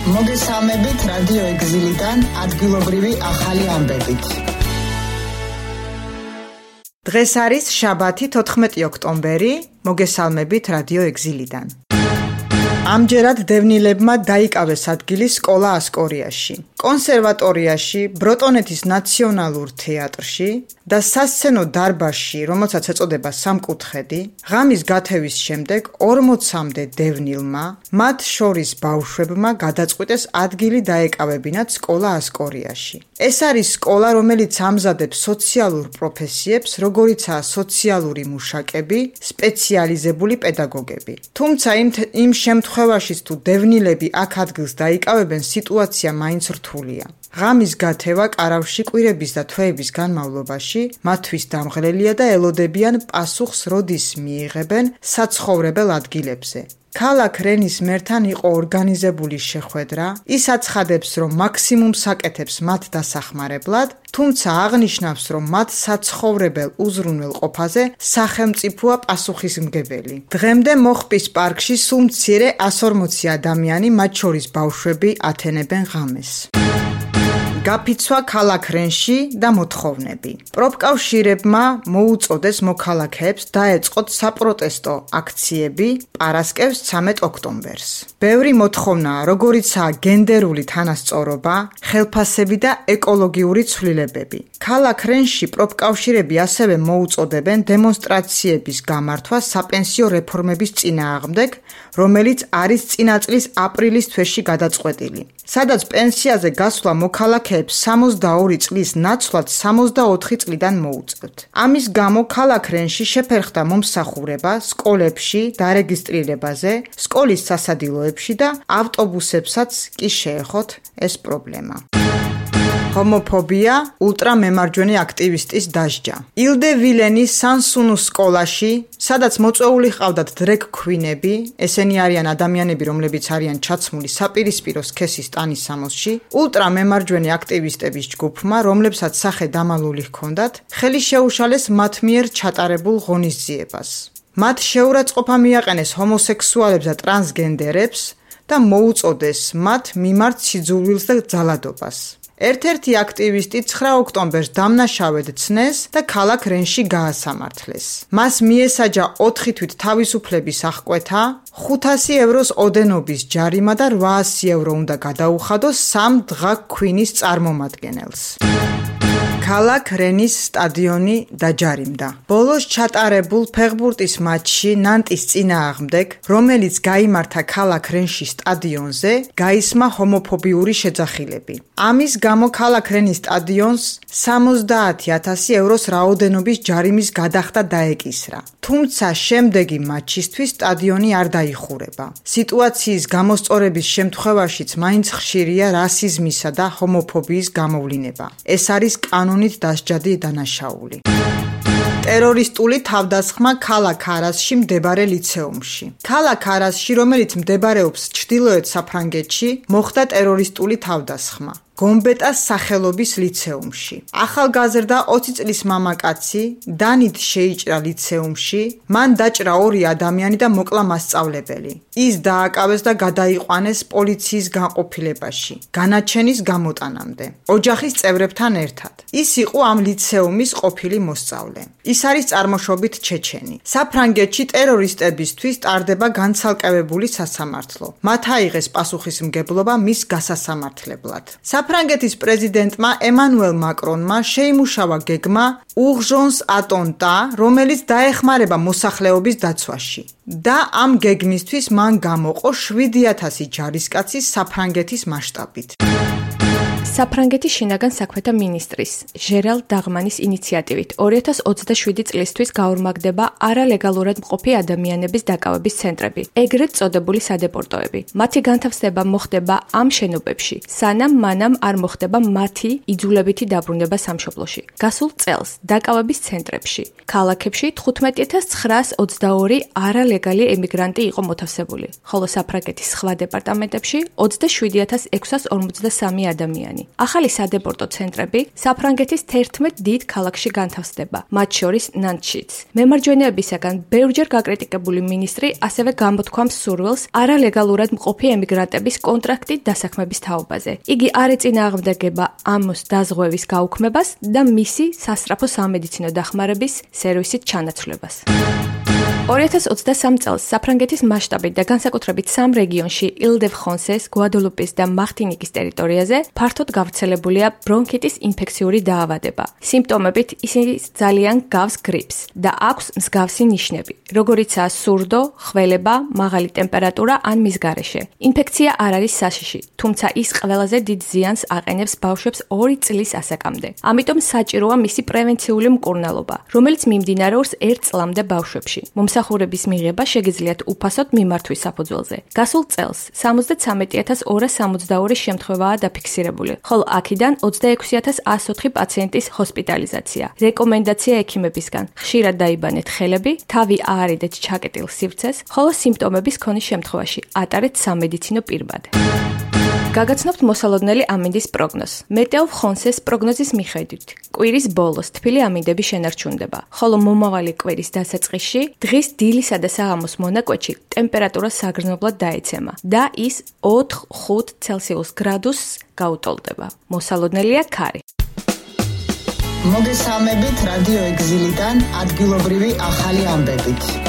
მოგესალმებით რადიო ეგზილიდან ადგილობრივი ახალი ამბებით. დღეს არის შაბათი 14 ოქტომბერი, მოგესალმებით რადიო ეგზილიდან. ამჯერად დევნილებმა დაიკავეს ადგილი სკოლა ასკორიაში, კონსერვატორიაში, ბროტონეთის ნაციონალურ თეატრში და სასცენო დარბაზში, რომელსაც ეწოდება სამკუთხედი, ღამის გათევის შემდეგ 40-მდე დევნილმა, მათ შორის ბავშვებმა გადაწყვიტეს ადგილი დაეკავებინათ სკოლა ასკორიაში. ეს არის სკოლა, რომელიც ამზადებს სოციალურ პროფესიებს, როგორიცაა სოციალური მუშაკები, სპეციალიზებული პედაგოგები. თუმცა იმ შემთხვევაშიც თუ დევნილები აქ ადგილს დაიკავებენ, სიტუაცია მაინც რთულია. ღამის გათევა კარავში კვირების და თვეების განმავლობაში მათთვის დამღლელია და ელოდებიან პასუხს, როდის მიიღებენ საცხოვრებელ ადგილებზე. ქალაქ რენის მერთან იყო ორგანიზებული შეხვედრა, ის აცხადებს, რომ მაქსიმუმს აკეთებს მათ დასახმარებლად, თუმცა აღნიშნავს, რომ მათ საცხოვრებელ უზრუნველყოფაზე სახელმწიფოა პასუხისმგებელი. დღემდე მოხპის პარკში სულ მცირე 140 ადამიანი, მათ შორის ბავშვები, ათენებენ ღამეს. გაფიცვა ქალაქ რენში და მოთხოვნები. პროფკავშირებმა მოუწოდეს მოქალაქეებს დაეწყოთ საპროტესტო აქციები პარასკევს 13 ოქტომბერს. ბევრი მოთხოვნაა, როგორიცაა გენდერული თანასწორობა, ხელფასები და ეკოლოგიური ცვლილებები. ქალაქ რენში პროფკავშირები ასევე მოუწოდებენ დემონსტრაციების გამართვა sapensio რეფორმების წინააღმდეგ, რომელიც არის წინა წლის აპრილის თვეში გადაწყვეტილი. სადაც პენსიაზე გასვლა მოქალაქეებს 62 წლის ნაცვლად 64 წლიდან მოუწევთ. ამის გამო ქალაქ რენში შეფერხდა მომსახურება სკოლებში დარეგისტრირებაზე, სკოლის სასადილოებში და ავტობუსებსაც კი შეეხოთ ეს პრობლემა. ჰომოფობია ულტრამემარჯვენე აქტივისტის დასჯა. ილდე ვილენის სანსუნუს სკოლაში, სადაც მოწვეული ჰყავდათ დრეგ ქვინები, ესენი არიან ადამიანები, რომლებიც არიან ჩაცმული საპირისპირო სქესის ტანის სამოსში, ულტრამემარჯვენე აქტივისტების ჯგუფმა, რომლებსაც სახე დამალული ჰქონდათ, ხელი შეუშალეს მათ მიერ ჩატარებულ ღონისძიებას. მათ შეურაცხყოფა მიაყენეს ჰომოსექსუალებს და ტრანსგენდერებს და მოუწოდეს მათ მიმართ სიძულვილს და ძალადობას. ერთ-ერთი აქტივისტი 9 ოქტომბერს დამნაშავედ ცნეს და ქალაქ რენში გაასამართლეს. მას მიესაჯა 4 თვით თავისუფლების აღკვეთა, 500 ევროს ოდენობის ჯარიმა და 800 euро უნდა გადაუხადოს 3 დღა ქვინის წარმომადგენელს. ქალაქ რენის სტადიონი დაჯარიმდა. ბოლოს ჩატარებულ ფეხბურთის მატჩში ნანტის წინააღმდეგ, რომელიც გაიმართა ქალაქ რენში სტადიონზე, გაისმა ჰომოფობიური შეძახილები. ამის გამო ქალაქ რენის სტადიონს 70,000 ევროს რაოდენობის ჯარიმის გადახდა დაეკისრა. თუმცა შემდეგი მატჩისთვის სტადიონი არ დაიხურება. სიტუაციის გამოსწორების შემთხვევაშიც მაინც ხშირია რასიზმისა და ჰომოფობიის გამოვლინება. ეს არის კანონით დასჯადი დანაშაული. ტერორისტული თავდასხმა ქალაქ არასში მდებარე ლიცეუმში. ქალაქ არასში, რომელიც მდებარეობს ჩრდილოეთ საფრანგეთში, მოხდა ტერორისტული თავდასხმა. გომბეტას სახელობის ლიცეუმში. ახალგაზრდა 20 წლის მამაკაცი დანით შეიჭრა ლიცეუმში, მან დაჭრა 2 ადამიანი და მოკლა მასწავლებელი. ის დააკავეს და გადაიყვანეს პოლიციის განყოფილებაში, განაჩენის გამოტანამდე, ოჯახის წევრებთან ერთად. ის იყო ამ ლიცეუმის ყოფილი მოსწავლე. ის არის წარმოშობით ჩეჩენი. საფრანგეთში ტერორისტებისთვის ტარდება განცალკევებული სასამართლო. მათ აიღეს პასუხისმგებლობა მის გასასამართლებლად. საფრანგეთის პრეზიდენტმა ემანუელ მაკრონმა შეიმუშავა გეგმა urgence attentat, რომელიც დაეხმარება მოსახლეობის დაცვაში. და ამ გეგმისთვის მან გამოყო 7,000 ჯარისკაცი საფრანგეთის მასშტაბით. საფრანგეთის შინაგან საქმეთა მინისტრის ჟერალ დაღმანის ინიციატივით 2027 წლისთვის გაორმაგდება არალეგალურად მყოფი ადამიანების დაკავების ცენტრები, ეგრეთ წოდებული სადეპორტოები. მათი განთავსება მოხდება ამ შენობებში, სანამ მანამ არ მოხდება მათი იძულებითი დაბრუნება სამშობლოში. გასულ წელს დაკავების ცენტრებში, ქალაქებში 15,922 არალეგალი ემიგრანტი იყო მოთავსებული, ხოლო საფრანგეთის სხვა დეპარტამენტებში 27,653 ადამიანი. ახალი სადეპორტო ცენტრები საფრანგეთის 11 დიდ ქალაქში განთავსდება, მათ შორის ნანტშიც. მემარჯვენეებისაგან ბევრჯერ გაკრიტიკებული მინისტრი ასევე გამოთქვამს სურვილს არალეგალურად მყოფი ემიგრანტების კონტრაქტით დასაქმების თაობაზე. იგი არ ეწინააღმდეგება ამ დაზღვევის გაუქმებას და მისი სასწრაფო სამედიცინო დახმარების სერვისით ჩანაცვლებას. 2023 წელს საფრანგეთის მასშტაბით და განსაკუთრებით სამ რეგიონში ილ-დე-ფრანსეს, გვადალუპის და მარტინიკის ტერიტორიაზე ფართოდ გავრცელებულია ბრონქიტის ინფექციური დაავადება. სიმპტომებით ისინი ძალიან გავს გრიპს და აქვს მსგავსი ნიშნები, როგორიცაა სურდო, ხველება, მაღალი ტემპერატურა ან მის გარეშე. ინფექცია არ არის საშიში, თუმცა ის ყველაზე დიდ ზიანს აყენებს ბავშვებს 2 წლის ასაკამდე. ამიტომ საჭიროა მისი პრევენციული მკურნალობა, რომელიც მიმდინარეობს 1 წლამდე ბავშვებში. მომსახურების მიღება შეგიძლიათ უფასოდ მიმართვის საფუძველზე. გასულ წელს 73,262 შემთხვევაა დაფიქსირებული, ხოლო აქედან 26,104 პაციენტის ჰოსპიტალიზაცია. რეკომენდაცია ექიმებისგან: ხშირად დაიბანეთ ხელები, თავი აარიდეთ ჩაკეტილ სივრცეს, ხოლო სიმპტომების ქონის შემთხვევაში ატარეთ სამედიცინო პირბად. გაგაცნობთ მოსალოდნელი ამინდის პროგნოზს. მეტეო ფრანსეს პროგნოზის მიხედვით, კვირის ბოლოს თბილი ამინდები შენარჩუნდება, ხოლო მომავალი კვირის დასაწყისში დღის დილისა და საღამოს მონაკვეთში ტემპერატურა საგრძნობლად დაეცემა და ის 4-5 ცელსიუს გრადუსს გაუტოლდება. მოსალოდნელია ქარი. მოგესალმებით რადიო ეგზილიდან ადგილობრივი ახალი ამბებით.